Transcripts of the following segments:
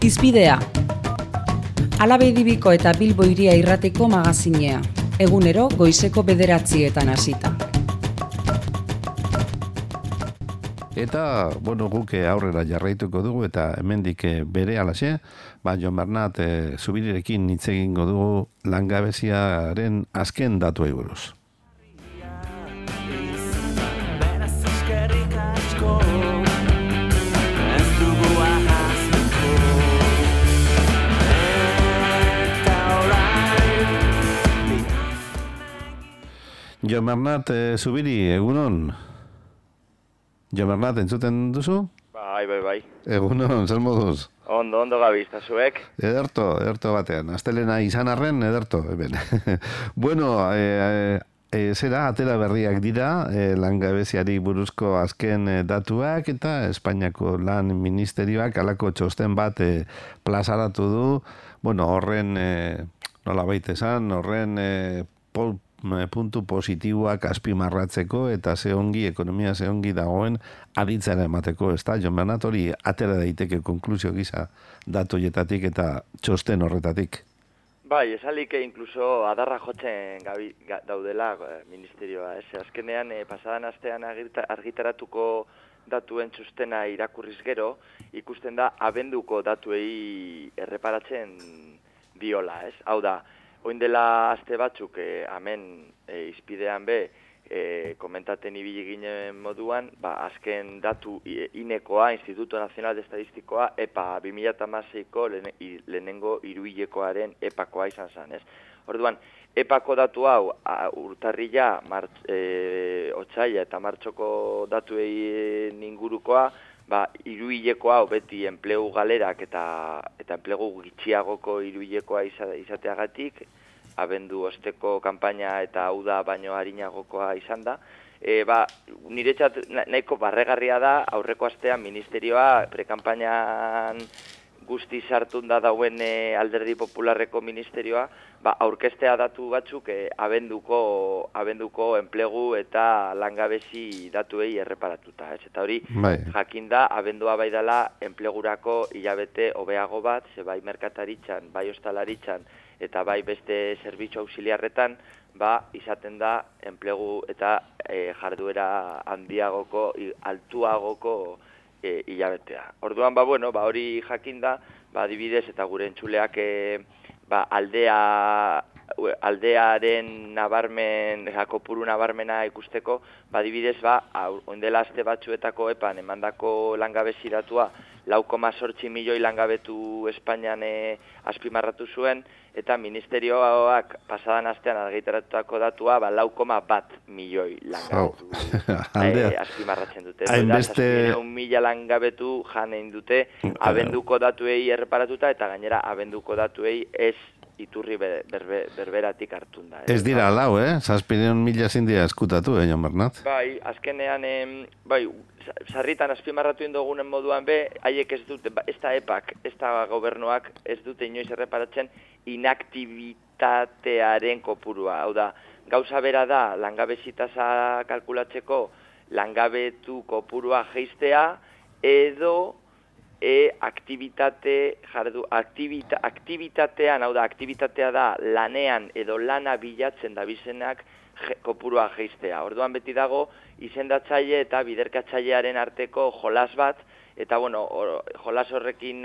Hizpidea. Alabedibiko eta Bilbo Hiria Irratiko magazinea. Egunero goizeko 9:00 hasita. Eta, guk aurrera jarraituko dugu eta hemendik bere alaxe, Jon Bernat Zubirirekin hitz egingo dugu langabeziaren azken datuei buruz. Jon Bernat Zubiri, egunon? Jon Bernat, entzuten duzu? Bai. Egunon, zer moduz? Ondo gabizta zuek. Ederto batean. Astelena izan arren, ederto, eben. Zera, atera berriak dira, langabeziari buruzko azken datuak eta Espainiako Lan Ministerioak halako txosten bat plazaratu du. Horren, nola baita esan, horren puntu positiboak azpimarratzeko eta ekonomia zehongi dagoen aditzera emateko, ez da? Jon Bernat, hori atera daiteke konklusio gisa datoietatik eta txosten horretatik. Bai, esalik inkluso adarra jotzen daudela ministerioa. Azkenean, pasadan astean argitaratuko datuen txostena irakurriz gero, ikusten da abenduko datuei erreparatzen diola, ez? Hau da, oin dela aste batzuk, hemen izpidean komentaten ibili ginen moduan, azken datu inekoa, Instituto Nacional de Estadistikoa, EPA 2016ko lehenengo hiruhilekoaren EPAkoa izan zen, ez? Orduan, EPAko datu hau urtarrila, otsaila eta martxoko datuei ingurukoa, hiruhilekoa hau beti enplegu galerak eta enplegu gitxiagoko hiruhilekoa izateagatik, abendu osteko kanpaina eta uda baino arinagokoa izan da. Niretzat nahiko barregarria da, aurreko astean ministerioa prekanpainan guzti sartun da dauen Alderdi Popularreko ministerioa, aurkeztea datu batzuk abenduko enplegu eta langabezi datuei erreparatuta. Eta hori, jakinda, abendua bai dela enplegurako hilabete hobeago bat, ze bai merkataritzan, bai ostalaritzan, eta bai beste zerbitzu auxiliarretan, izaten da enplegu eta jarduera handiagoko, altuagoko hilabetea. Orduan, hori jakinda, adibidez, eta gure entzuleak aldearen nabarmen, kopuru nabarmena ikusteko, adibidez, oindela aste batzuetako epan emandako langabezi datua 4,8 milioi langabetu Espainian azpimarratu zuen, eta ministerioak pasadan astean argitaratutako datua 4,1 milioi langabetu azpimarratzen dute. Hainbeste 1.000 langabetu janein dute abenduko datuei erreparatuta, eta gainera abenduko datuei ez iturri berberatik hartun da. Ez dira lau, Zazpideun mila zindia eskutatu, Jon Bernat? Bai, azkenean, sarritan azpimarratu indogunen moduan haiek ez dute, ez da EPAK, ez da gobernuak ez dute inoiz erreparatzen inaktibitatearen kopurua. Hau da, gauza bera da, langabezi tasa kalkulatzeko langabetu kopurua jeistea, edo aktibitatean, hau da, aktibitatea da lanean edo lana bilatzen da bizenak kopurua jeistea. Orduan beti dago izendatzaile eta biderkatzailearen arteko jolas bat, eta jolas horrekin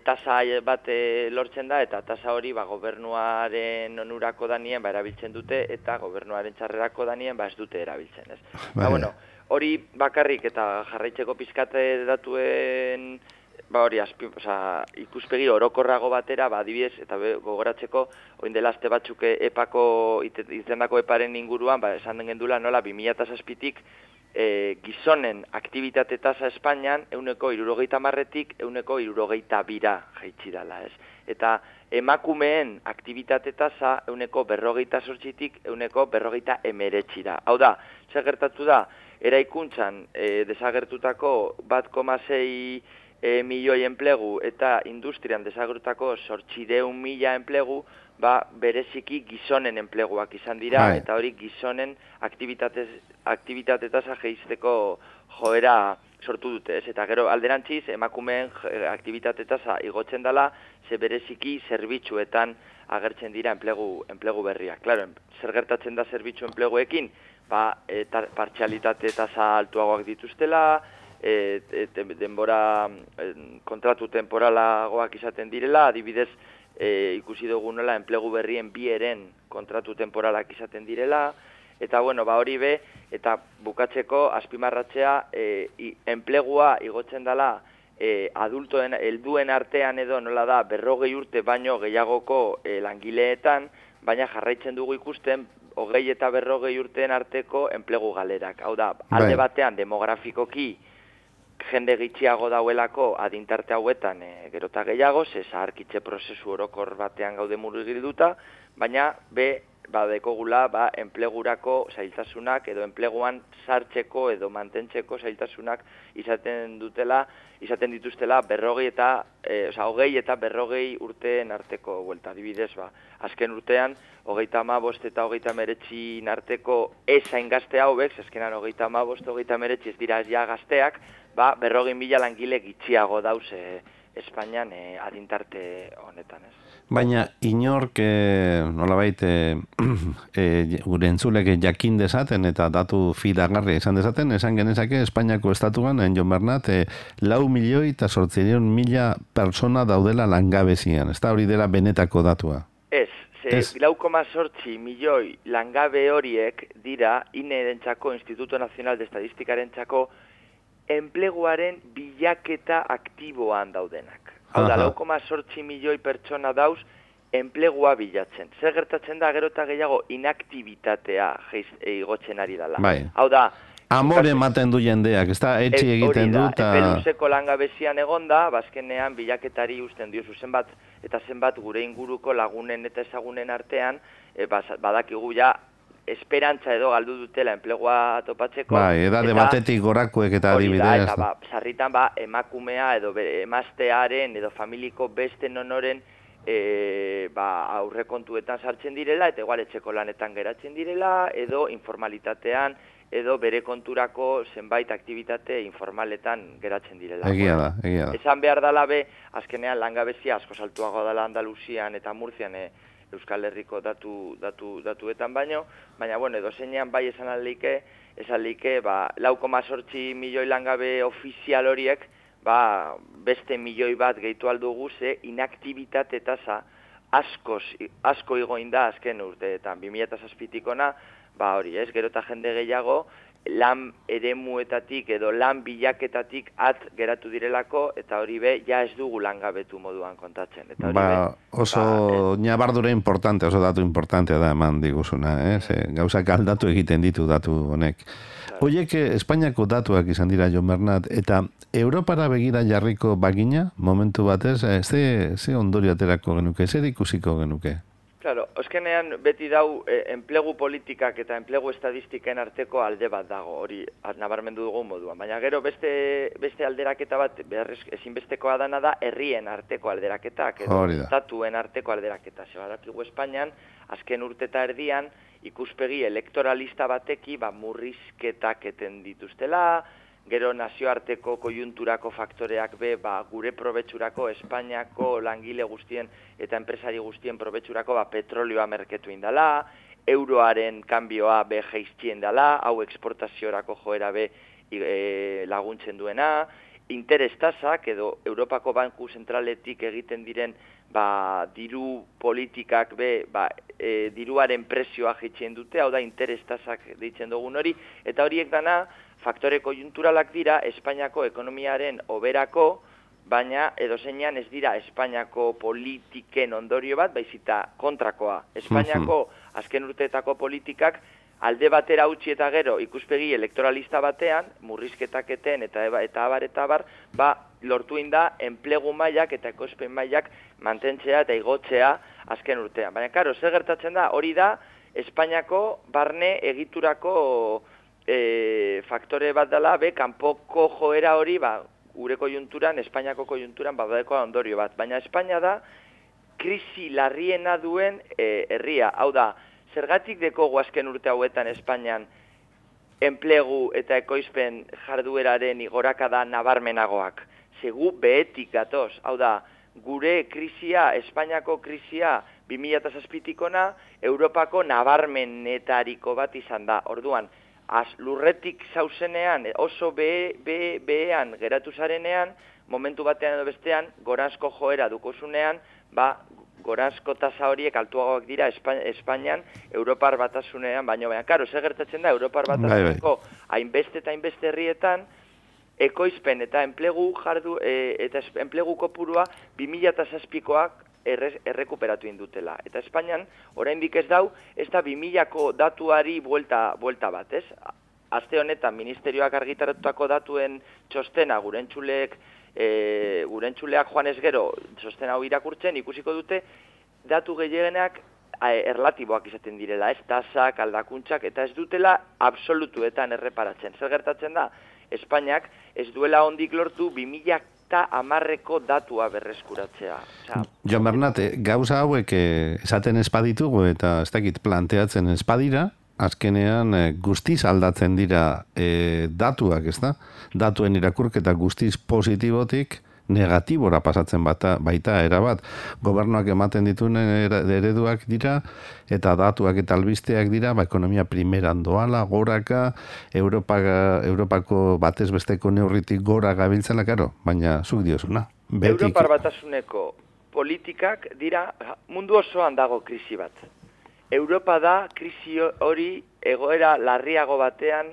tasa bat lortzen da, eta tasa hori gobernuaren onurako danien erabiltzen dute, eta gobernuaren txarrerako danien ez dute erabiltzen, ez? Hori bakarrik eta jarraitzeko pizkate datuen ikuspegi orokorrago batera, adibidez, eta gogoratzeko, oin dela aste batzuk EPAko, izendako EPAren inguruan, esan den gendula nola 2007-tik gizonen aktibitate tasa Espainian 70%-tik 72% jaitsi dela, ez? Eta emakumeen aktibitate tasa 48%-tik 49%. Hau da, zer gertatu da, eraikuntzan desagertutako 1,6 milioi enplegu eta industrian desagertutako 800.000 enplegu bereziki gizonen enpleguak izan dira, eta hori gizonen aktibitate tasa jeizteko joera sortu dute, ez? Eta gero alderantziz emakumeen aktibitate tasa igotzen dela, ze bereziki zerbitzuetan agertzen dira enplegu berriak. Claro, zer gertatzen da zerbitzu enpleguekin? Partzialitate tasa altuagoak dituztela, denbora kontratu temporalagoak izaten direla, adibidez ikusi dugu nola enplegu berrien bieren kontratu temporalak izaten direla, eta bueno, hori be, eta bukatzeko azpimarratzea enplegua igotzen dela adultoen, helduen artean edo nola da 40 urte baino gehiagoko langileetan, baina jarraitzen dugu ikusten 20 eta 40 urteen arteko enplegu galerak. Hau da, alde batean demografikoki jende gitxiago dauelako adintarte hauetan gerota gehiago, zaharkitze prozesu orokor batean gaude murgilduta, baina badekogula enplegurako zailtasunak edo enpleguan sartzeko edo mantentzeko zailtasunak izaten dituztela 20 eta 40 urteen arteko buelta. Adibidez, azken urtean 35 eta 39 arteko ez hain gazte hauek, azkenan 35, 39 ez dira ez ja gazteak, 40.000 langile gitxiago dauz Espainian adintarte honetan, ez. Baina inork nolabait gure entzulek jakin dezaten eta datu fidagarria izan dezaten, esan genezake Espainiako estatuan, Jon Bernat, 4.800.000 persona daudela langabezian. Ez da hori dela benetako datua? Ez, 4,8 milioi langabe horiek dira INE-rentzako, Instituto Nacional de Estadistikarentzako, enpleguaren bilaketa aktiboan daudenak. Hau da, 4,8 milioi pertsona dauz enplegua bilatzen. Zer gertatzen da gero eta gehiago inaktibitatea igotzen ari dela. Hau da, amore ematen du jendeak, ez da, etxe egiten du. Epeluzeko langabezian egonda, bazkenean bilaketari usten dio zenbat eta zenbat gure inguruko lagunen eta ezagunen artean, badakigu ja, esperantza edo galdu dutela enplegua topatzeko. Edade batetik gorakoek eta adibidez. Eta sarritan emakumea edo emaztearen edo familiko beste nonoren aurrekontuetan sartzen direla, eta igual etxeko lanetan geratzen direla, edo informalitatean, edo bere konturako zenbait aktibitate informaletan geratzen direla. Egia da. Esan behar dala azkenean langabezia asko saltuago dela Andaluzian eta Murtzian Euskal Herriko datuetan baino, baina, bueno, edo zeinean bai esan aldike, 4,8 milioi langabe ofizial horiek, beste milioi bat gehitu aldugu, inaktibitate tasa asko igoin da azken urteetan, 2007-tikona, hori, gero eta jende gehiago, lan eremuetatik edo lan bilaketatik geratu direlako, eta hori ja ez dugu langabetu moduan kontatzen. Oso nabardura importante, oso datu importantea da eman diguzuna, gauzak aldatu egiten ditu datu honek. Hoiek Espainiako datuak izan dira, Jon Bernat, eta Europara begira jarriko bagina, momentu batez, ze ondorio aterako genuke, zer ikusiko genuke? Claro, oskenean beti dau enplegu politikak eta enplegu estadistiken arteko alde bat dago, hori nabarmendu dugu moduan. Baina gero beste alderaketa bat ezinbestekoa dana da herrien arteko alderaketak edo estatuen arteko alderaketak. Badakigu Espainian, azken urte eta erdian, ikuspegi elektoralista bateki murrizketak eten dituztela, gero nazioarteko kojunturako faktoreak gure probetxurako Espainiako langile guztien eta enpresari guztien probetxurako petrolioa merketu indala, euroaren kanbioa jeiztien dela, hau eksportaziorako joera laguntzen duena, interes tasak edo Europako Banku Zentraletik egiten diren diru politikak diruaren prezioa jeitzen dute, hau da interes tasak deitzen dugun hori, eta horiek dana faktore kojunturalak dira Espainiako ekonomiaren oberako, baina edozeinean ez dira Espainiako politiken ondorio bat, baizita kontrakoa. Espainiako azken urteetako politikak alde batera utzi eta gero ikuspegi elektoralista batean, murrizketaketen eta abar, lortu inda enplegu mailak eta ekospen mailak mantentzea eta igotzea azken urtean. Baina, karo, zer gertatzen da, hori da Espainiako barne egiturako faktore bat dela, kanpoko joera hori, gure kojunturan, Espainiako kojunturan, badadekoa ondorio bat. Baina Espainia da, krisi larriena duen herria. Hau da, zergatik dekogu azken urte hauetan Espainian enplegu eta ekoizpen jardueraren igorakada nabarmenagoak. Segu behetik gatoz, hau da, gure krisia, Espainiako krisia 2007-tikona, Europako nabarmenetariko bat izan da. Orduan, lurretik zauzenean, oso behean geratu zarenean, momentu batean edo bestean, goranzko joera dukozunean, goranzko tasa horiek altuagoak dira Espainian, Europar batasunean, baina, karo, zer gertatzen da, Europar batasuneko hainbeste eta hainbeste herrietan, ekoizpen eta enplegu kopurua 2007koak errekuperatu indutela. Eta Espainian, oraindik ez da 2000ko datuari buelta bat, ez? Aste honetan, ministerioak argitaratutako datuen txostena, gure entzuleak joan ez gero, txostena hau irakurtzen, ikusiko dute, datu gehienak erlatiboak izaten direla, ez? Tasak, aldakuntzak, eta ez dutela absolutuetan erreparatzen. Zer gertatzen da? Espainiak ez duela ondik lortu 2010ko datua berreskuratzea. Jon Bernat, gauza hauek esaten espaditugu eta ez dakit planteatzen espadira, azkenean guztiz aldatzen dira datuak, ez da? Datuen irakurketa guztiz positibotik negatibora pasatzen baita erabat. Gobernuak ematen dituen ereduak dira, eta datuak eta albisteak dira, ekonomia primeran doala, goraka, Europako batez besteko neurritik gora gabiltzela, karo, baina zuk diozuna. Europar batasuneko politikak dira, mundu osoan dago krisi bat. Europa da krisi hori egoera larriago batean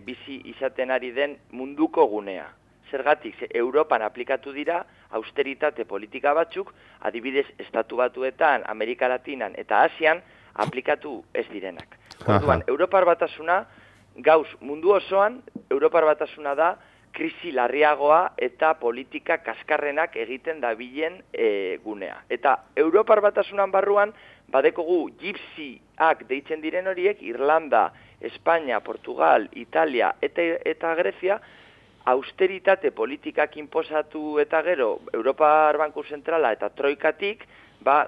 bizi izaten ari den munduko gunea. Zergatik, Europan aplikatu dira austeritate politika batzuk, adibidez Estatu Batuetan, Amerika Latinan eta Asian aplikatu ez direnak. Orduan, Europar batasuna, gauz mundu osoan, Europar batasuna da krisi larriagoa eta politika kaskarrenak egiten dabilen gunea. Eta Europar batasunan barruan, badekogu gypsyak deitzen diren horiek, Irlanda, Espainia, Portugal, Italia eta Grezia, austeritate politikak inposatu eta gero Europar Banku Zentrala eta Troikatik,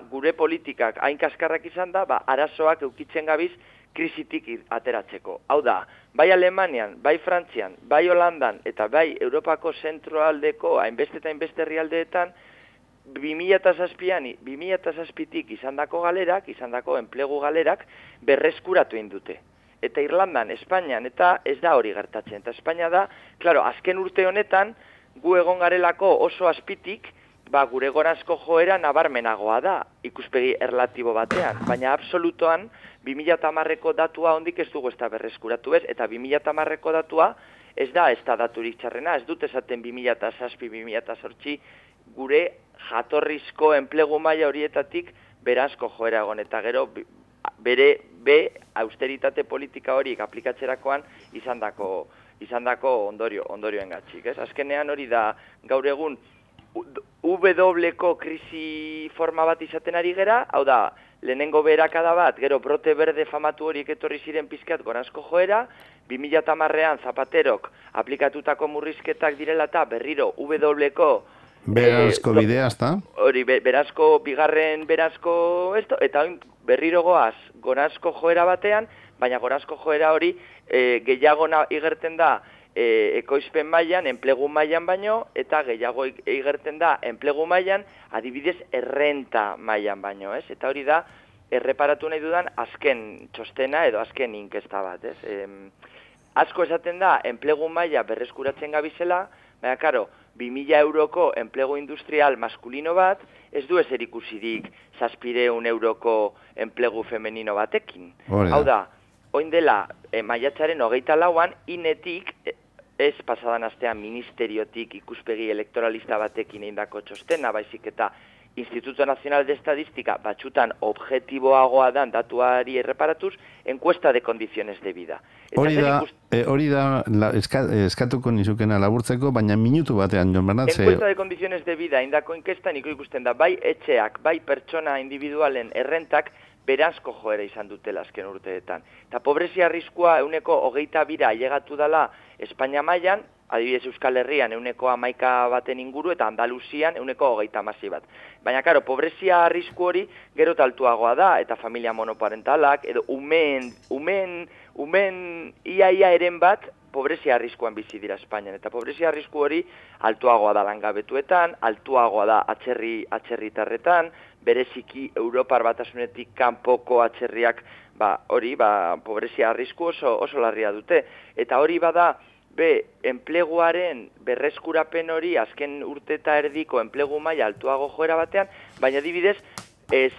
gure politikak hain kaskarrak izan da, arazoak eukitzen gabiz krisitik ateratzeko. Hau da, bai Alemanian, bai Frantzian, bai Holandan eta bai Europako zentroaldeko hainbeste eta hainbeste herrialdeetan 2007tik izandako galerak, izandako enplegu galerak berreskuratu indute. Eta Irlandan, Espainian, eta ez da hori gertatzen. Eta Espainia da, klaro, azken urte honetan, gu egon garelako oso azpitik, gure goranzko joera nabarmenagoa da, ikuspegi erlatibo batean. Baina absolutoan, 2010ko datua ondik ez dugu ez da berreskuratu ez, eta 2010ko datua ez da daturik txarrena, ez dut esaten 2007-2008 gure jatorrizko enplegu maila horietatik beranzko joera egon, eta gero austeritate politika horiek aplikatzerakoan izandako ondorioen gatzik. Azkenean hori da gaur egun W-ko krisi forma bat izaten ari gera, hau da, lehenengo beherakada bat, gero brote berde famatu horiek etorri ziren pizkat goranzko joera, 2010an Zapaterok aplikatutako murrizketak direla eta berriro W-ko berazko bidea, ezta? Hori, bigarren berazko eta berriro goaz goranzko joera batean, baina goranzko joera hori gehiago igerten da ekoizpen mailan, enplegu mailan baino, eta gehiago igerten da enplegu mailan, adibidez errenta mailan baino, ez? Eta hori da, erreparatu nahi dudan azken txostena edo azken inkesta bat, ez? Asko esaten da, enplegu maila berreskuratzen gabizela, baina, karo, 2000 euroko enplegu industrial maskulino bat, ez du ezer ikusirik 700 euroko enplegu femenino batekin. Hau da, oin dela, maiatzaren 24an, inetik, ez pasadan astean ministeriotik ikuspegi elektoralista batekin eindako txostena, baizik eta Instituto Nacional de Estadística batxutan objetiboagoa dan datuari erreparatuz, encuesta de condiciones de vida. Hori da eskatuko nizukena laburtzeko, baina minutu batean, Jon Bernat. Encuesta de condiciones de vida indako inkestan ikusten da, bai etxeak, bai pertsona individualen errentak beranzko joera izan dutela azken urteetan. Eta pobrezia arriskua 22% ailegatu dela Espainia mailan, adibidez Euskal Herrian 11% baten inguru eta Andaluzian 30% bat. Baina, karo, pobrezia arrisku hori gero altuagoa da, eta familia monoparentalak, edo umen ia eren bat, pobrezia arriskuan bizi dira Espainian, eta pobrezia arrisku hori altuagoa da langabetuetan, altuagoa da atzerritarretan, bereziki Europar Batasunetik kanpoko atzerriak pobrezia arrisku oso larria dute. Eta hori bada, enpleguaren berreskurapen hori azken urte eta erdiko enplegu maila altuago joera batean, baina adibidez,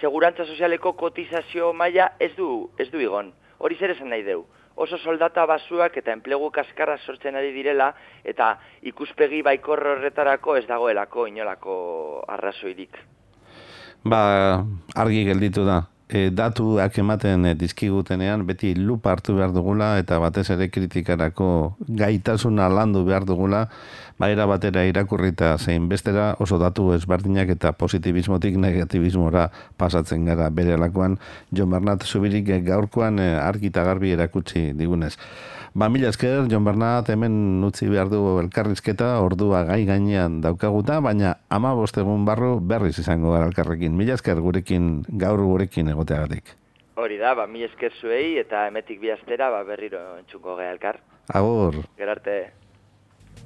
segurantza sozialeko kotizazio maila ez du igon. Hori zer esan nahi deu. Oso soldata basuak eta enplegu kaskarra sortzen ari direla, eta ikuspegi baikor horretarako ez dagoelako inolako arrazoirik. Argi gelditu da. Datuak ematen dizkigutenean beti lupa hartu behar dugula eta batez ere kritikarako gaitasuna landu behar dugula, era batera irakurrita zein bestera oso datu ezberdinak eta positibismotik negatibismora pasatzen gara berelakoan. Jon Bernat Zubirik gaurkoan argi eta garbi erakutsi digunez. Mila esker, Jon Bernat, hemen utzi behar du elkarrizketa, ordua gai gainean daukaguta, baina 15 egun barru berriz izango gara elkarrekin. Mila esker gaur gurekin egoteagatik. Hori da, mila esker zuei eta emetik bi astera berriro entzuko gara elkar. Agur. Gerarte.